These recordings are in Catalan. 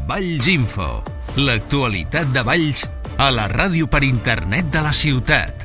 Valls Info, l'actualitat de Valls a la ràdio per internet de la ciutat.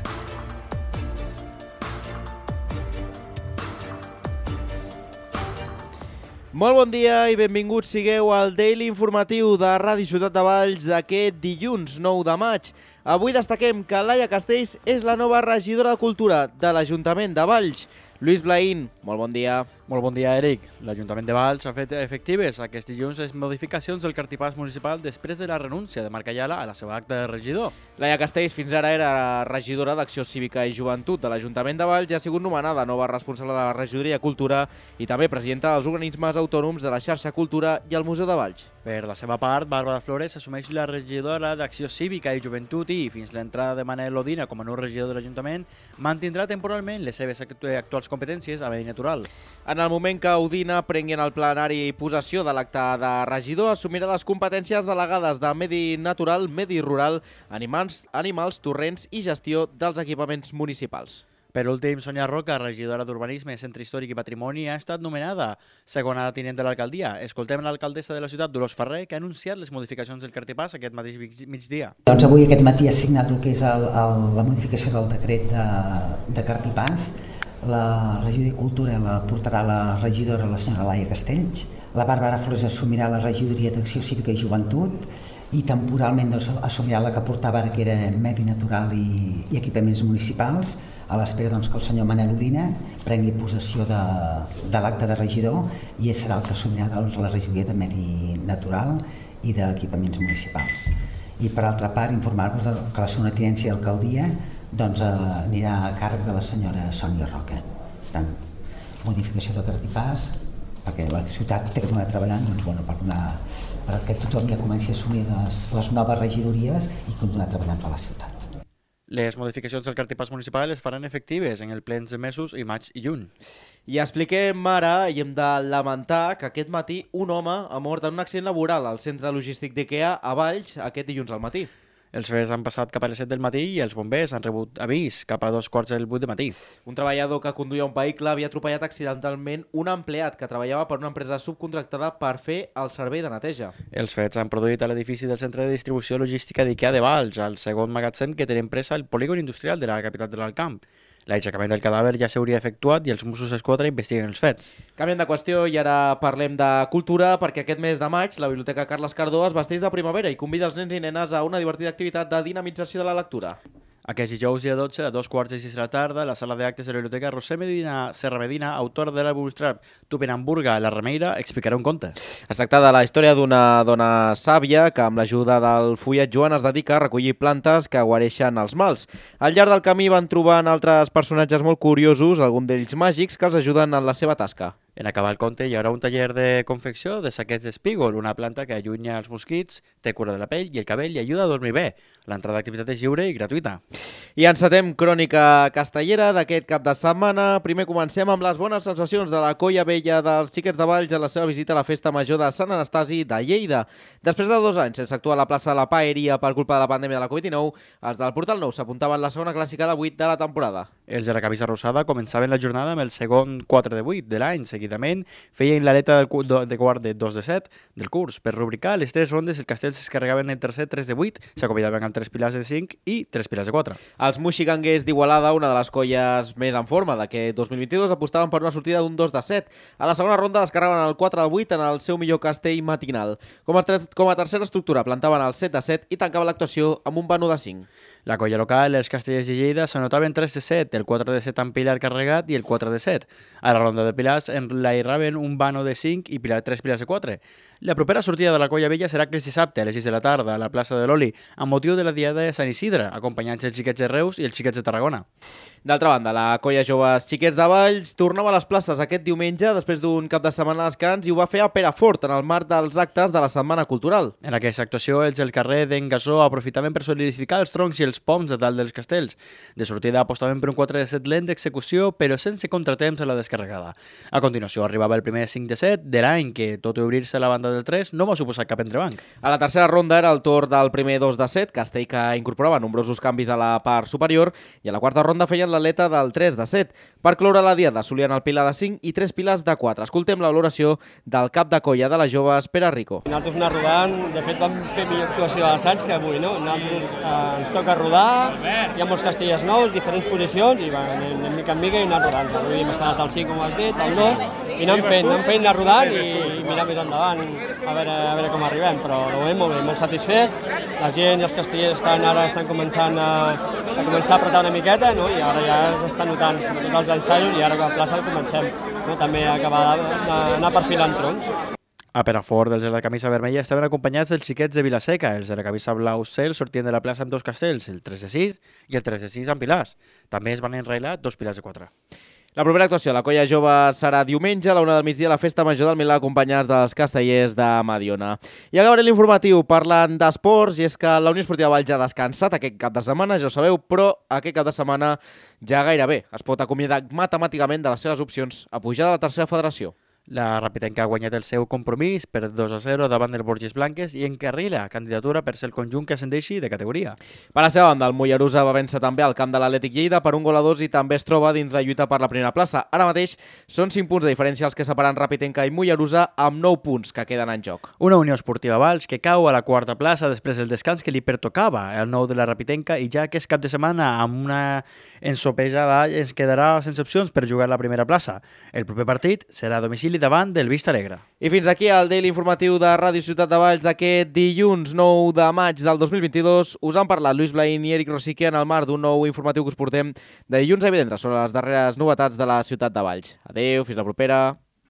Molt bon dia i benvinguts sigueu al Daily Informatiu de Ràdio Ciutat de Valls d'aquest dilluns 9 de maig. Avui destaquem que Laia Castells és la nova regidora de Cultura de l'Ajuntament de Valls. Lluís Blaín, molt bon dia. Molt bon dia, Eric. L'Ajuntament de Valls ha fet efectives aquest dilluns les modificacions del cartipàs municipal després de la renúncia de Marc Ayala a la seva acta de regidor. Laia Castells fins ara era regidora d'Acció Cívica i Joventut de l'Ajuntament de Valls i ha sigut nomenada nova responsable de la regidoria Cultura i també presidenta dels organismes autònoms de la xarxa Cultura i el Museu de Valls. Per la seva part, Bàrbara Flores assumeix la regidora d'Acció Cívica i Joventut i, fins l'entrada de Manel Odina com a nou regidor de l'Ajuntament, mantindrà temporalment les seves actuals competències a medi natural. En el moment que Odina prengui en el plenari possessió de l'acte de regidor, assumirà les competències delegades de medi natural, medi rural, animals, torrents i gestió dels equipaments municipals. Per últim, Sonia Roca, regidora d'Urbanisme, Centre Històric i Patrimoni, ha estat nomenada segona tinent de l'alcaldia. Escoltem l'alcaldessa de la ciutat, Dolors Ferrer, que ha anunciat les modificacions del cartipàs aquest mateix migdia. Doncs avui aquest matí ha signat el que és la modificació del decret de cartipàs. La regidoria de Cultura la portarà la regidora, la senyora Laia Castells. La Bàrbara Flores assumirà la regidoria d'Acció Cívica i Joventut i temporalment assumirà la que portava ara, que era Medi Natural i Equipaments Municipals, a l'espera que el senyor Manel Odina prengui possessió de l'acte de regidor i ell serà el que assumirà la regidoria de Medi Natural i d'Equipaments Municipals. I per altra part, informar-vos que la segona tinència d'alcaldia anirà a càrrec de la senyora Sonia Roca. Per tant, modificació de cartipàs, perquè la ciutat té que continuar treballant perquè tothom ja comenci a assumir les noves regidories i continuar treballant per la ciutat. Les modificacions del cartipàs municipal es faran efectives en els plens de mesos i maig i juny. I expliquem ara, i hem de lamentar, que aquest matí un home ha mort en un accident laboral al centre logístic d'IKEA a Valls aquest dilluns al matí. Els fets han passat cap a les 7 del matí i els bombers han rebut avís cap a 7:15 del matí. Un treballador que conduïa un vehicle havia atropellat accidentalment un empleat que treballava per una empresa subcontractada per fer el servei de neteja. Els fets han produït a l'edifici del centre de distribució logística d'IKEA de Valls, al segon magatzem que té empresa al polígon industrial de la capital de l'Alt Camp. L'aixecament del cadàver ja s'hauria efectuat i els Mossos d'Esquadra investiguen els fets. Canviem de qüestió i ara parlem de cultura, perquè aquest mes de maig la Biblioteca Carles Cardó es vesteix de primavera i convida els nens i nenes a una divertida activitat de dinamització de la lectura. Aquest dijous, dia 12, a 2:15 de la tarda, a la sala d'actes de la Biblioteca Roser Serra Medina, autora de la Bootstrap Tupenhamburga, La Remeira, explicarà un conte. Es tracta de la història d'una dona sàvia que, amb l'ajuda del fullet Joan, es dedica a recollir plantes que guareixen els mals. Al llarg del camí van trobant altres personatges molt curiosos, alguns d'ells màgics, que els ajuden en la seva tasca. En acabar el conte hi haurà un taller de confecció de saquets d'espígol, una planta que allunya els mosquits, té cura de la pell i el cabell i ajuda a dormir bé. L'entrada d'activitat és lliure i gratuïta. I encetem crònica castellera d'aquest cap de setmana. Primer comencem amb les bones sensacions de la colla vella dels Xiquets de Valls a la seva visita a la festa major de Sant Anastasi de Lleida. Després de 2 anys sense actuar a la plaça de la Paeria per culpa de la pandèmia de la Covid-19, els del Portal Nou s'apuntaven la segona clàssica de 8 de la temporada. Els de la camisa rosada començaven la jornada amb el segon 4 de 8 de l'any. Seguidament feien l'aleta de quart de 2 de 7 del curs. Per rubricar les 3 rondes, el castell s'escarregaven el tercer 3 de 8, s'acomiadaven amb 3 pilars de 5 i 3 pilars de 4. Els moixiganguers d'Igualada, una de les colles més en forma d'aquest 2022, apostaven per una sortida d'un 2 de 7. A la segona ronda descarregaven el 4 de 8 en el seu millor castell matinal. Com a tercera estructura plantaven el 7 de 7 i tancaven l'actuació amb un vano de 5. La colla local, els castellers de Lleida, s'anotaven 3 de 7, el 4 de 7 amb pilar carregat i el 4 de 7. A la ronda de pilars enlairaven un vano de 5 i 3 pilars de 4. La propera sortida de la colla vella serà aquest dissabte a les 6 de la tarda a la plaça de l'Oli, amb motiu de la Diada de Sant Isidre, acompanyats els xiquets de Reus i els xiquets de Tarragona. D'altra banda, la colla joves Xiquets de Valls tornava a les places aquest diumenge després d'un cap de setmana de descans i ho va fer a Perafort en el marc dels actes de la Setmana Cultural. En aquesta actuació, els del carrer d'en Gasó aprofitaven per solidificar els troncs i els poms de dalt dels castells. De sortida apostaven per un 4 de 7 lent d'execució, però sense contratemps a la descarregada. A continuació arribava el primer 5 de 7 de l'any, que tot i obrir-se a la banda del 3 no va suposar cap entrebanc. A la tercera ronda era el torn del primer 2 de 7, castell que incorporava nombrosos canvis a la part superior, i a la quarta ronda feien l'aleta del 3 de 7. Per cloure la diada solien el pilar de 5 i 3 pilars de 4. Escoltem la valoració del cap de colla de les joves, Pere Rico. Nosaltres anar rodant, de fet vam fer millor actuació a l'assaig que avui, no? Nosaltres ens toca rodar, hi ha molts castellers nous, diferents posicions, i anem mica en mica i anar rodant. Avui hem estat al 5, com has dit, al 2, i anem fent, anar rodant i mirar més endavant, a veure com arribem, però de moment molt bé, molt satisfet. La gent i els castellers ara estan començant a apretar una miqueta, no? I ara ja s'està notant, sobretot els ensaios, i ara a la plaça comencem, no? També a acabar d'anar perfilant troncs. A Perafort, els de la camisa vermella estaven acompanyats dels xiquets de Vilaseca. Els de la camisa blau cel sortien de la plaça amb dos castells, el 3 de 6 i el 3 de 6 amb pilars. També es van enrailar dos pilars de 4. La propera actuació de la colla jove serà diumenge a la 1 del migdia a la Festa Major del Milà, acompanyats dels castellers de Mediona. I acabaré l'informatiu parlant d'esports, i és que la Unió Esportiva Valls ja ha descansat aquest cap de setmana, ja ho sabeu, però aquest cap de setmana ja gairebé es pot acomiadar matemàticament de les seves opcions a pujar de la tercera federació. La Rapitenca ha guanyat el seu compromís per 2-0 davant del Borges Blanques i encarrila candidatura per ser el conjunt que ascendeixi de categoria. Per la seva banda, el Mollerussa va vèncer també al camp de l'Atlètic Lleida per 1-2 i també es troba dins la lluita per la primera plaça. Ara mateix són 5 punts de diferència els que separen Rapitenca i Mollerussa amb 9 punts que queden en joc. Una Unió Esportiva Valls que cau a la quarta plaça després del descans que li pertocava el nou de la Rapitenca, i ja que és cap de setmana amb una ensopejada ens quedarà sense opcions per jugar la primera plaça. El proper partit serà a domicili davant del Vista Alegre. I fins aquí el Daily Informatiu de Ràdio Ciutat de Valls d'aquest dilluns 9 de maig del 2022. Us han parlat Lluís Blaín i Eric Rosique en el marc d'un nou informatiu que us portem de dilluns a divendres sobre les darreres novetats de la Ciutat de Valls. Adéu, fins la propera.